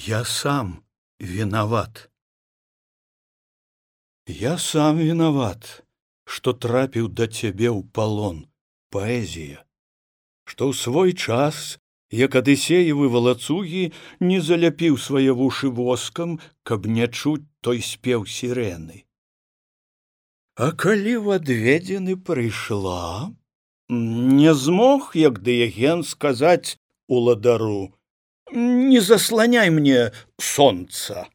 Я сам виноват. Я сам виноват, што трапіў да цябе ў палон, паэзія, што ў свой час, як адысеевы валацугі, не заляпіў свае вушы воскам, каб не чуць той спеў сірэны. А калі в адведзены прыйшла, не змог, як Дыяген, сказаць уладару: «Не засланяй мне сонца».